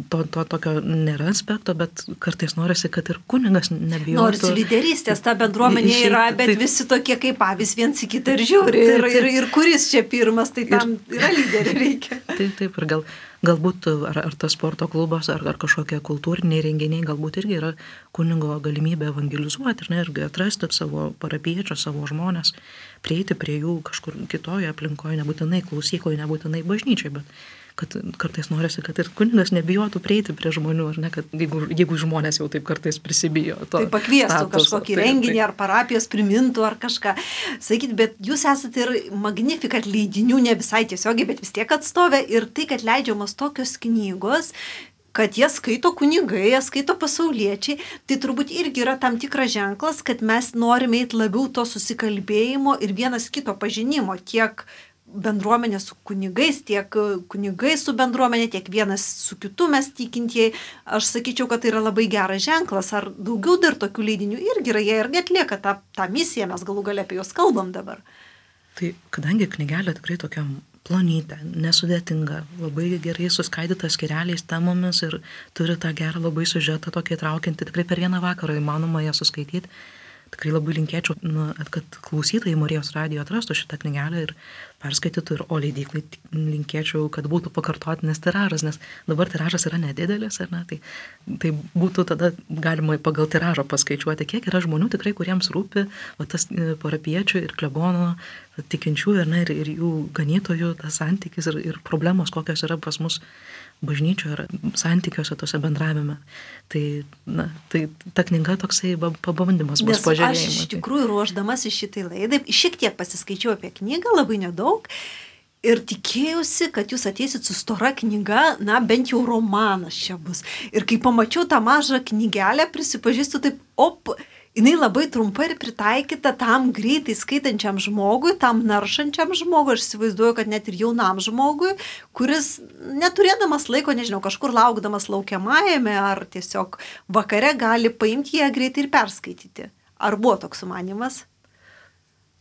to tokio nėra aspekto, bet kartais norisi, kad ir kunigas nebijotų. Norisi lyderystės, ta bendruomenė yra, bet visi tokie kaip avys viens į kitą ir žiūri. Ir kuris čia pirmas, tai tam yra lyderiai reikia. Taip, ir galbūt ar tas sporto klubas, ar kažkokie kultūriniai renginiai, galbūt irgi yra kunigo galimybė evangelizuoti ir irgi atrasti savo parapiečius, savo žmonės, prieiti prie jų kažkur kitoje aplinkoje, nebūtinai klausykloje, nebūtinai bažnyčiai, bet kad kartais norisi, kad ir kunigas nebijotų prieiti prie žmonių, ar ne, kad jeigu žmonės jau taip kartais prisibijo to. Tai pakviestų kažkokį renginį ar parapijos primintų ar kažką. Sakyt, bet jūs esate ir Magnificat leidinių, ne visai tiesiogiai, bet vis tiek atstovė ir tai, kad leidžiamos tokios knygos, kad jie skaito kunigai, jie skaito pasauliečiai, tai turbūt irgi yra tam tikras ženklas, kad mes norime eiti labiau to susikalbėjimo ir vienas kito pažinimo, tiek bendruomenė su kunigais, tiek kunigai su bendruomenė, tiek vienas su kitu mes tikintieji. Aš sakyčiau, kad tai yra labai geras ženklas. Ar daugiau dar tokių leidinių irgi yra, jie irgi atlieka tą misiją, mes galų gale apie juos kalbam dabar. Tai kadangi knygelė tikrai tokia plonytė, nesudėtinga, labai gerai suskaidyta skyreliais temomis ir turi tą gerą labai siužetą tokį traukiantį, tikrai per vieną vakarą įmanoma ją suskaityti. Tikrai labai linkėčiau, kad klausytojai Marijos radijo atrastų šitą knygelę ir perskaitytų, o leidyklai linkėčiau, kad būtų pakartotinis tiražas, nes dabar tiražas yra nedidelis, ar ne, tai būtų tada galima pagal tiražą paskaičiuoti, kiek yra žmonių tikrai, kuriems rūpi tas parapiečių ir klebono tikinčiųjų, ir jų ganytojų tas santykis ir problemos, kokios yra pas mus bažnyčioje ar santykiuose tose bendravime. Tai ta knyga toksai pabandymas bus pažiūrėjimui. Aš iš tikrųjų ruošdamas į šitai laidai, šiek tiek pasiskaičiau apie knygą, labai nedaug. Ir tikėjausi, kad jūs ateisit su stora knyga, na bent jau romanas čia bus. Ir kai pamačiau tą mažą knygelę, prisipažįstu taip, jinai labai trumpa ir pritaikyta tam greitai skaitančiam žmogui, tam naršančiam žmogui. Aš įsivaizduoju, kad net ir jaunam žmogui, kuris neturėdamas laiko, nežinau, kažkur laukdamas laukiamajame ar tiesiog vakare gali paimti ją greitai ir perskaityti. Ar buvo toks sumanymas?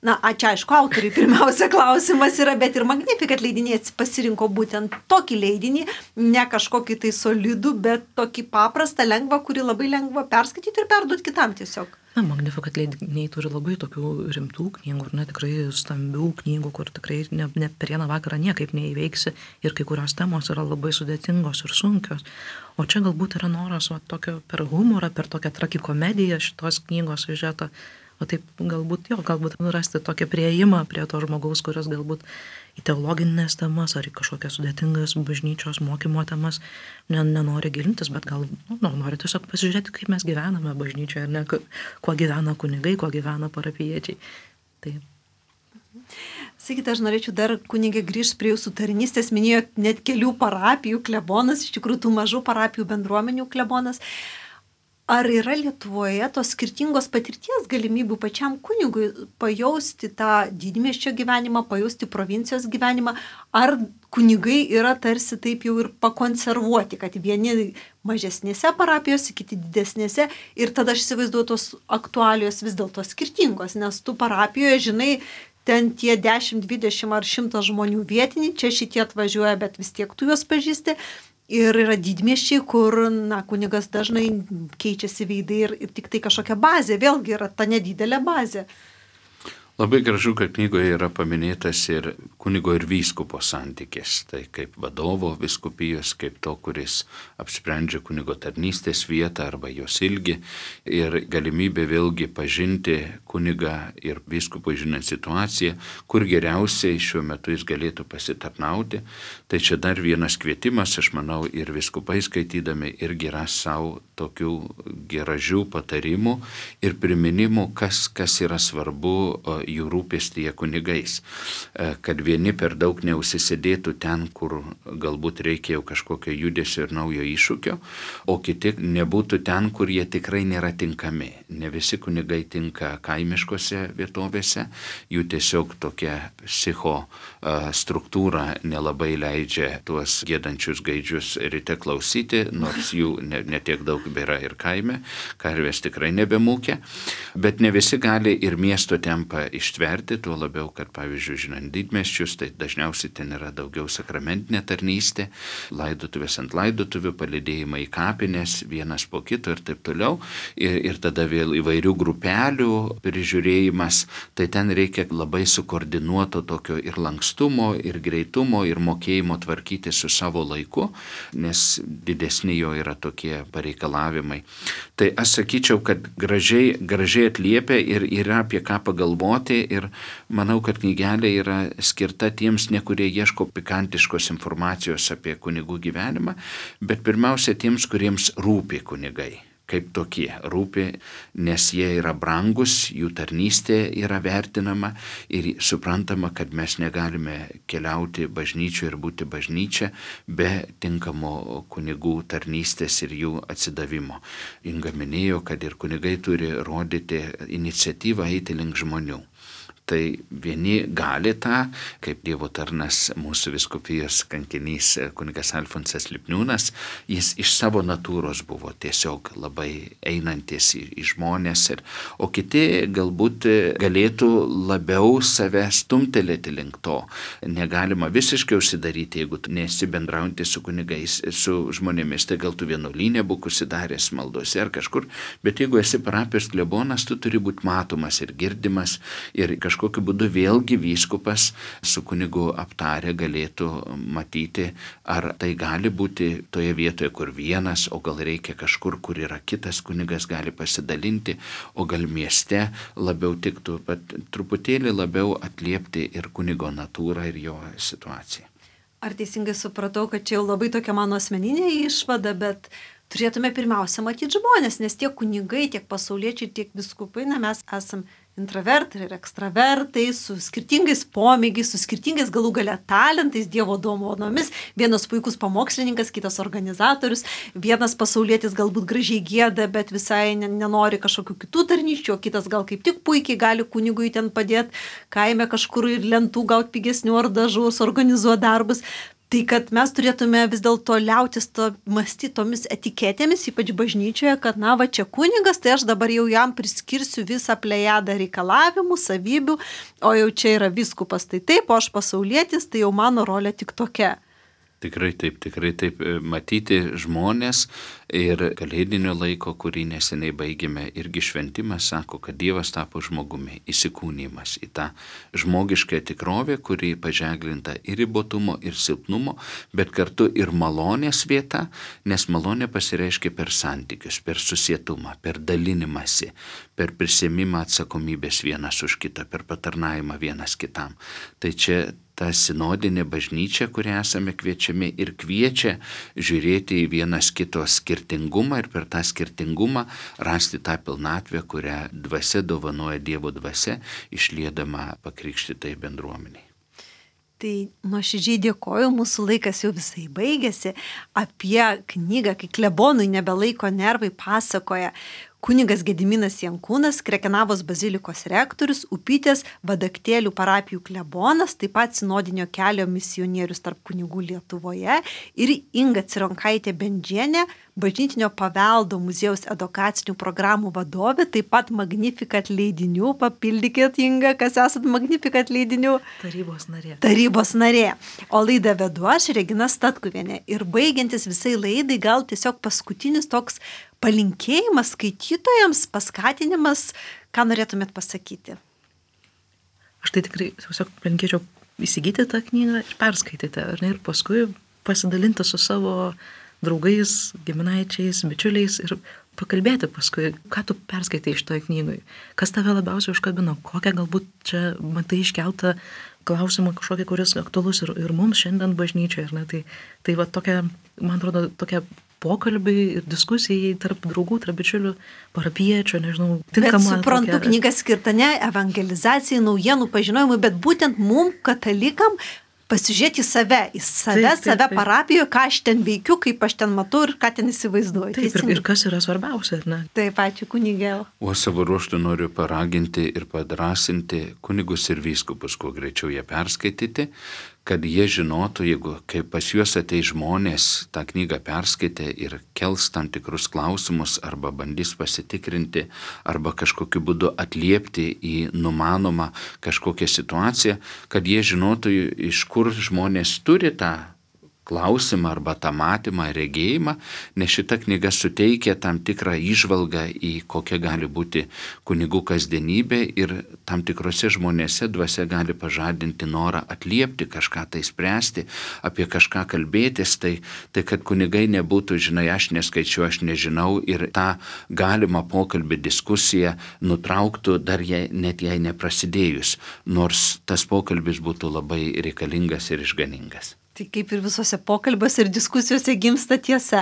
Na, čia aišku, autoriai pirmiausia klausimas yra, bet ir Magnificat leidiniai pasirinko būtent tokį leidinį, ne kažkokį tai solidų, bet tokį paprastą, lengvą, kurį labai lengva perskaityti ir perduoti kitam tiesiog. Na, Magnificat leidiniai turi labai tokių rimtų knygų, ir tikrai stambių knygų, kur tikrai ne per vieną vakarą niekaip neįveiksi ir kai kurios temos yra labai sudėtingos ir sunkios. O čia galbūt yra noras tokio per humorą, per tokią tragikomediją šitos knygos siužeto. O taip galbūt rasti tokį prieimą prie to žmogaus, kuris galbūt į teologinės temas ar į kažkokias sudėtingas bažnyčios mokymo temas nenori gilintis, bet gal nori tiesiog pasižiūrėti, kaip mes gyvename bažnyčioje, ne, kuo gyvena kunigai, kuo gyvena parapijiečiai. Taip. Sakykite, aš norėčiau dar kunigė grįžti prie jūsų tarnystės, minėjot net kelių parapijų klebonas, iš tikrųjų tų mažų parapijų bendruomenių klebonas. Ar yra Lietuvoje tos skirtingos patirties galimybių pačiam kunigui pajausti tą didmiesčio gyvenimą, pajausti provincijos gyvenimą, ar kunigai yra tarsi taip jau ir pakonservuoti, kad vieni mažesnėse parapijose, kiti didesnėse, ir tada aš įsivaizduoju, tos aktualijos vis dėlto skirtingos, nes tu parapijoje, žinai, ten tie 10, 20 ar 100 žmonių vietiniai, čia šitie atvažiuoja, bet vis tiek tu juos pažįsti. Ir yra didmiesčiai, kur kunigas dažnai keičiasi veidai ir tik tai kažkokia bazė, vėlgi yra ta nedidelė bazė. Labai gražu, kad knygoje yra paminėtas ir kunigo ir vyskupo santykis. Tai kaip vadovo vyskupijos, kaip to, kuris apsprendžia kunigo tarnystės vietą arba jos ilgį. Ir galimybė vėlgi pažinti kunigą ir vyskupui žinant situaciją, kur geriausiai šiuo metu jis galėtų pasitarnauti. Tai čia dar vienas kvietimas, aš manau, ir vyskupai skaitydami irgi ras savo tokių gražių patarimų ir priminimų, kas yra svarbu jų rūpestyje kunigais. Kad vieni per daug neužsisėdėtų ten, kur galbūt reikėjo kažkokio judesio ir naujo iššūkio, o kiti nebūtų ten, kur jie tikrai nėra tinkami. Ne visi kunigai tinka kaimiškose vietovėse, jų tiesiog tokia struktūra nelabai leidžia tuos giedančius gaidžius ryte klausyti, nors jų netiek daug yra ir kaime, karvės tikrai nebemūkia, bet ne visi gali ir miesto tempą ištverti, tuo labiau, kad pavyzdžiui, žinant didmiesčius, tai dažniausiai ten yra daugiau sakramentinė tarnystė, laidotuvės ant laidotuvių, palydėjimai į kapines, vienas po kito ir taip toliau, ir tada vėl įvairių grupelių prižiūrėjimas, tai ten reikia labai sukoordinuoto tokio ir lankstumo, ir greitumo, ir mokėjimo tvarkyti su savo laiku, nes didesni jo yra tokie pareikalavimai. Tai aš sakyčiau, kad gražiai atliepia ir yra apie ką pagalvoti ir manau, kad knygelė yra skirta tiems, ne kurie ieško pikantiškos informacijos apie kunigų gyvenimą, bet pirmiausia tiems, kuriems rūpi kunigai. Kaip tokie rūpi, nes jie yra brangus, jų tarnystė yra vertinama ir suprantama, kad mes negalime keliauti bažnyčioje ir būti bažnyčia be tinkamo kunigų tarnystės ir jų atsidavimo. Inga minėjo, kad ir kunigai turi rodyti iniciatyvą eiti link žmonių. Tai vieni gali tą, kaip Dievo tarnas mūsų vyskupijos kankinys kunigas Alfonsas Lipniūnas, jis iš savo natūros buvo tiesiog labai einantis į žmonės, o kiti galbūt galėtų labiau save stumtelėti link to. Negalima visiškai užsidaryti, jeigu tu nesi bendraujantis su kunigais, su žmonėmis, tai gal tu vienuolyne būk užsidaręs maldose ar kažkur, bet jeigu esi parapijos klebonas, tu turi būti matomas ir girdimas ir kažkokiu būdu vėlgi vyskupas su kunigu aptarę galėtų matyti, ar tai gali būti toje vietoje, kur vienas, o gal reikia kažkur, kur yra kitas kunigas, gali pasidalinti, o gal mieste labiau tiktų, bet truputėlį labiau atliepti ir kunigo natūrą ir jo situaciją. Ar teisingai supratau, kad čia jau labai tokia mano asmeninė išvada, bet turėtume pirmiausia matyti žmonės, nes tiek kunigai, tiek pasauliečiai, tiek viskupai, mes esam intravertai ir ekstravertai, su skirtingais pomėgiais, su skirtingais galų gale talentais, Dievo dovanomis. Vienas puikus pamokslininkas, kitas organizatorius, vienas pasaulietis galbūt gražiai gieda, bet visai nenori kažkokių kitų tarnyščių, o kitas gal kaip tik puikiai gali kunigui ten padėti kaime kažkur ir lentų gauti pigesnių ar dažus, organizuoti darbus. Tai kad mes turėtume vis dėlto liautis mąstyti tomis etiketėmis, ypač bažnyčioje, kad na va čia kunigas, tai aš dabar jau jam priskirsiu visą plejadą reikalavimų, savybių, o jau čia yra vyskupas, tai taip, o aš pasaulietis, tai jau mano rolė tik tokia. Tikrai taip, matyti žmonės ir kalėdinio laiko, kurį neseniai baigėme, irgi šventimas sako, kad Dievas tapo žmogumi, įsikūnymas į tą žmogišką tikrovę, kuri paženklinta ir ribotumo, ir silpnumo, bet kartu ir malonės vieta, nes malonė pasireiškia per santykius, per susietumą, per dalinimąsi, per prisiėmimą atsakomybės vienas už kitą, per patarnavimą vienas kitam. Tai čia ta sinodinė bažnyčia, kurią esame kviečiami ir kviečia žiūrėti į vienas kito skirtingumą ir per tą skirtingumą rasti tą pilnatvę, kurią dvasia dovanoja Dievo dvasia, išliedama pakrikštytai bendruomeniai. Tai nuoširdžiai dėkoju, mūsų laikas jau visai baigėsi. Apie knygą, kai klebonui nebelaiko nervai, pasakoja kunigas Gediminas Jankūnas, Krekenavos bazilikos rektorius, Upytės Vadaktėlių parapijų klebonas, taip pat sinodinio kelio misionierius tarp kunigų Lietuvoje ir Inga Cironkaitė Bendžienė, bažnytinio paveldo muziejaus edukacinių programų vadovė, taip pat Magnificat leidinių, papildykit Inga, kas esat Magnificat leidinių? Tarybos narė. O laidą vedu aš, Regina Statkuvienė. Ir baigiantis visai laidai, gal tiesiog paskutinis toks palinkėjimas skaitytojams, paskatinimas, ką norėtumėt pasakyti? Aš tai tikrai tiesiog palinkėčiau įsigyti tą knygą ir perskaityti, ar ne, ir paskui pasidalinti su savo draugais, giminaičiais, bičiuliais ir pakalbėti paskui, ką tu perskaitai iš toj knygoj, kas tave labiausiai užkabino, kokią galbūt čia matai iškeltą klausimą kažkokį, kuris aktualus ir mums šiandien bažnyčioje, ar ne, tai va tokia, man atrodo, tokia pokalbiai ir diskusijai tarp draugų, tarp bičiulių, parapiečių, nežinau, tinkama. Bet suprantu, tokia knyga skirta ne evangelizacijai, naujienų pažinojimui, bet būtent mum, katalikam, pasižiūrėti į save parapijoje, ką aš ten veikiu, kaip aš ten matau ir ką ten įsivaizduoju. Taip, ir kas yra svarbiausia, ar ne? Taip, ačiū kunigėl. O savo ruožtu noriu paraginti ir padrasinti kunigus ir vyskupus, kuo greičiau jie perskaityti, kad jie žinotų, jeigu kai pas juos ateis žmonės tą knygą perskaitė ir kels tam tikrus klausimus arba bandys pasitikrinti arba kažkokiu būdu atliepti į numanomą kažkokią situaciją, kad jie žinotų, iš kur žmonės turi tą klausimą arba tą matymą, regėjimą, nes šita knyga suteikia tam tikrą įžvalgą į kokia gali būti kunigų kasdienybė ir tam tikrose žmonėse dvasia gali pažadinti norą atliepti kažką, tai spręsti, apie kažką kalbėtis, tai kad kunigai nebūtų, žinai, aš neskaičiu, aš nežinau ir tą galimą pokalbį, diskusiją nutrauktų dar net jai neprasidėjus, nors tas pokalbis būtų labai reikalingas ir išganingas. Tai kaip ir visose pokalbiuose ir diskusijose gimsta tiesa.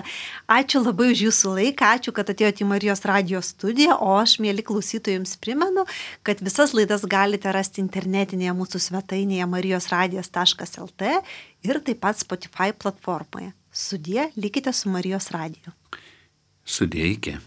Ačiū labai už jūsų laiką, ačiū, kad atėjote į Marijos radijo studiją, o aš, mieli klausytojai, jums primenu, kad visas laidas galite rasti internetinėje mūsų svetainėje marijosradijas.lt ir taip pat Spotify platformoje. Sudie, likite su Marijos radiju. Sudie, iki.